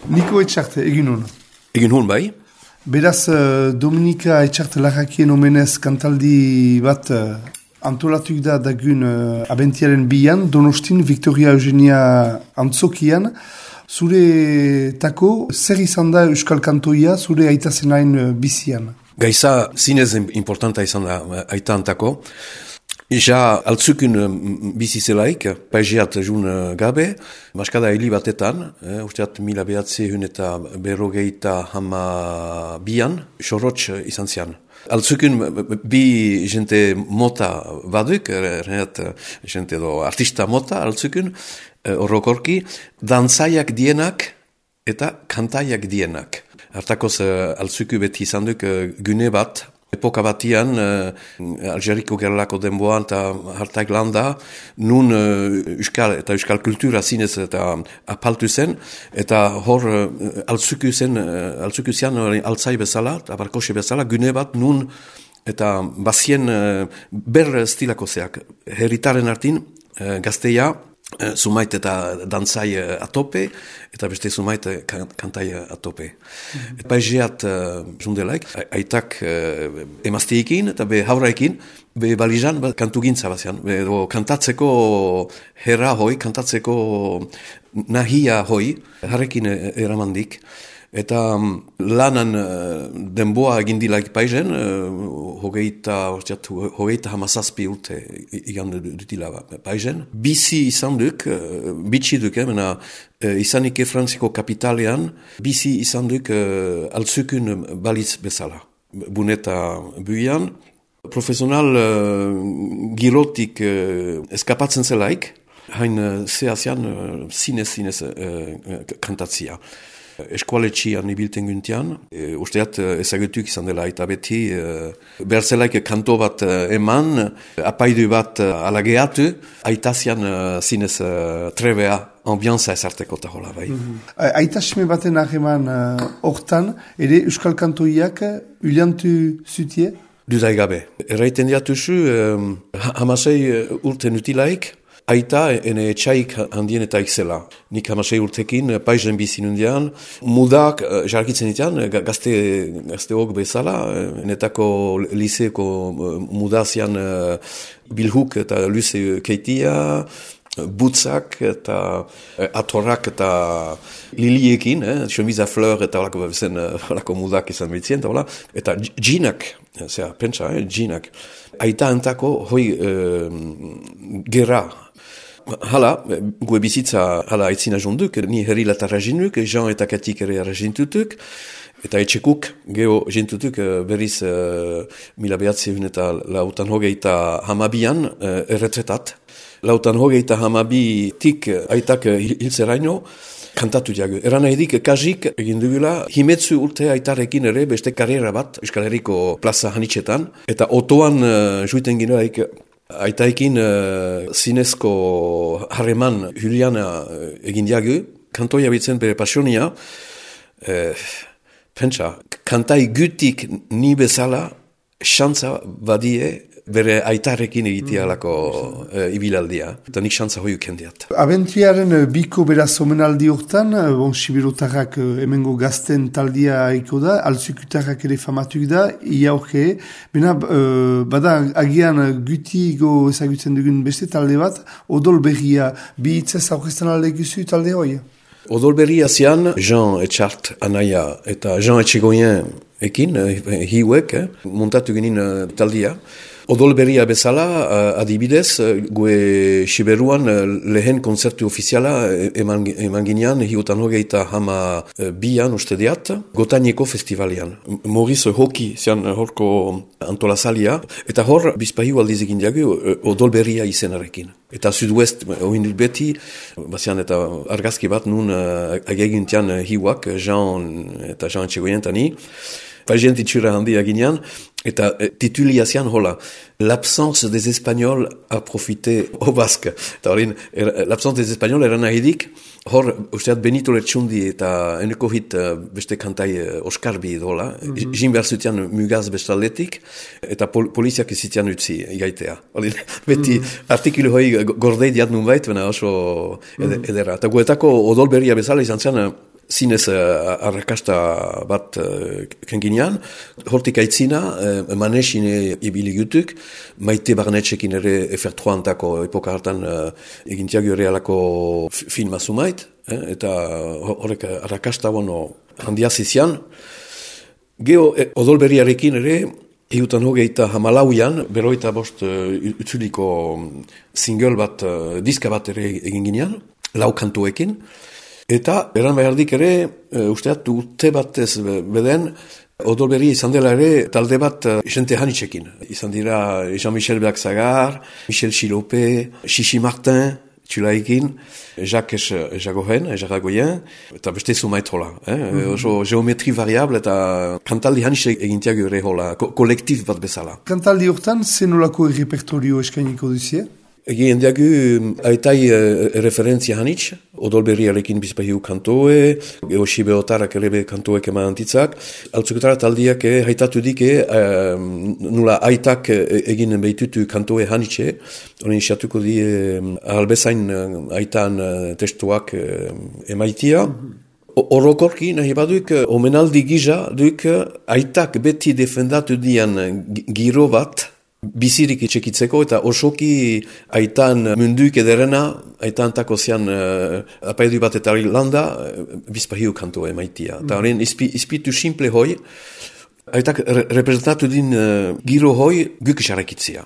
Niko Etxart, egin hon. Egin hon bai. Beraz, Dominika Etxart Larrakien omenez kantaldi bat antolatuk da dagun abentiaren bian, Donostin Victoria Eugenia antzokian. Zure tako, zer izan da Euskal Kantoia zure aita zenain bizian? Gaiza zinez importanta izan da aita antako. Ja altzukun bizi zelaik, paizeat jun gabe, maskada hili batetan, usteat 1900 eta berrogeita hama bian, sorotx izan zian. Altzukun bi jente mota baduk, jente do artista mota altzukun, horrokorki, dantzaiak dienak eta kantaiak dienak. Hartakoz altzuku beti izan duk gune bat, epoka batian, Algeriko gerlako denboan eta hartak landa, nun euskal kultura zinez eta apaltu zen, eta hor altzuku zian altzai bezala, abarkose bezala, gune bat nun, eta bazien ber stilako zeak, herritaren artin, gazteia, sumait eta dantzai atope, eta beste sumait kantai atope. Paizeat jundelaik, aitak emaztiekin eta be hauraekin, be balizan kantu gintza bazian. Kantatzeko herra hoi, kantatzeko nahia hoi, harrekin eramandik. Eta lanan denboa egindilaik paizen, hogeita hamazazpi urte igan dutila paizen. Bizi izan duk, bitxi duk, izanik Frantziko kapitalean, bizi izan duk altzukun balitz bezala. Buneta buian, profesional girotik eskapatzen zelaik, hain zehazian zinez kantatzia. Eskualetxian ibilten guntian, usteat ezagutuk izan dela, eta beti berzelaik kanto bat eman, apaidu bat alageatu, aitazian zinez trebea, ambianza ezarteko eta hola bai. Aitasme baten aheman hortan, ere Euskal Kantoiak uliantu zutie? Dudai gabe. Erraiten diatuzu, hamasei urten utilaik, aita ene etxaik handienetaik zela. Nik 16 urtekin paizen bizinundian, mudak jarkitzen ditean, gazteok bezala, enetako liseeko mudazian bilhuk eta luze keitia, butzak eta atorrak eta liliekin, chemiza fleur eta olako mudak izan bitzien, eta džinak, pentsa, džinak. Aita antako hoi gerra. Hala, gue bizitza hala aitzina jonduk, ni herri latarra jinuk, Jean eta Katik ere arrazintutuk, eta etxekuk geho jintutuk berriz 1900 eta lautan hogeita hamabian erretretat. Lautan hogeita hamabitik aitak hilzeraino, kantatu diago. Eran edik kajik egin dugula, himetzu urte aitarekin ere beste karriera bat Euskal Herriko plaza hanitxetan, eta otoan juiten ginoaik aitaikin zinezko harreman Juliana egin diago, kantoia bitzen bere pasionia, pentsa, kantai gutik ni bezala, xantza badie bere aitarekin egitea lako ibilaldia, eta nik xantza hoiuk kendiat. Abentuaren biko beraz omenaldi hortan, Sibirotarrak hemengo gazten taldia eko da, altzukutarrak ere famatuk da, ia horke, bada agian gutigo ezagutzen dugun beste talde bat, Odol Berria, bi hitzez aurkezten alde guzu talde hoi? Odol Berria zian, Jean Etxart anaia eta Jean Etxegoien ekin, hiuek, montatu genin taldia. Odol Berria bezala, adibidez, gue Siberuan lehen konzertu ofiziala eman ginean, hiutan hogeita hama bian uste diat, Gotaineko festivalian. Maurice Hoki zian horko antolazalia, eta hor bizpahiu aldiz egin diago Odol Berria izenarekin. Eta Sud-West oindut beti, bazian eta argazki bat nun agegintian hiuak, Jean eta Jean Etxegoien tani, Pagien titxura handia ginean, eta titulia zian hola, l'absence des Espagnols a profité au Basque. Eta horin, l'absence des Espagnols eran ahidik, hor, usteat Benito Lertxundi eta eneko hit beste kantai Oskarbi dola, jin behar zutian mugaz bestaldetik, eta poliziak izitian utzi igaitea. Horin, beti artikulu hoi gordei diat nun bait, bena oso edera. Eta guetako Odol Berria bezala izan zen, zinez arrakasta bat kenginean, hortik aitzina, manesine ibili gutuk, Maite Barnetxekin ere Efertroantako epoka hartan egintiago ere alako filma zumait, eta horrek arrakasta handia zizian. Geo odolberriarekin ere, Iutan hogeita hamalauian, beroita bost utzuliko single bat, diska bat ere egin ginean, 4 kantuekin. Eta, eran behardik ere, usteat urte batez beden, odolberri izan dela ere talde bat jente hanitzekin. Izan dira Jean-Michel Bergzagar, Michel Chilope, Xixi Martin, txulaikin, Jacques Jagoen, eta beste zumait hola. Oso geometri variable eta kantaldi hanitze egintiak ere hola, kolektif bat bezala. Kantaldi hortan, zenolako repertorio eskainiko duzie? Egin diagu aitai referentzia hanitz, odolberriarekin bizpahiu kantoe, Eosi Beotarak ere kantoek eman antitzak, altzuketara taldiak haitatu dike, nula aitak egin behitutu kantoe hanitze, honen isatuko di albezain aitan testuak emaitia. Orokorki nahi baduk, omenaldi giza duk aitak beti defendatu dian giro bat, bizirik itxekitzeko eta osoki aitan munduik ederena, aitan tako zian apaidu bat eta landa, bizpahiu kanto emaitia. Eta horren izpitu simple hoi, aitak representatu din giro hoi guk xarakitzia.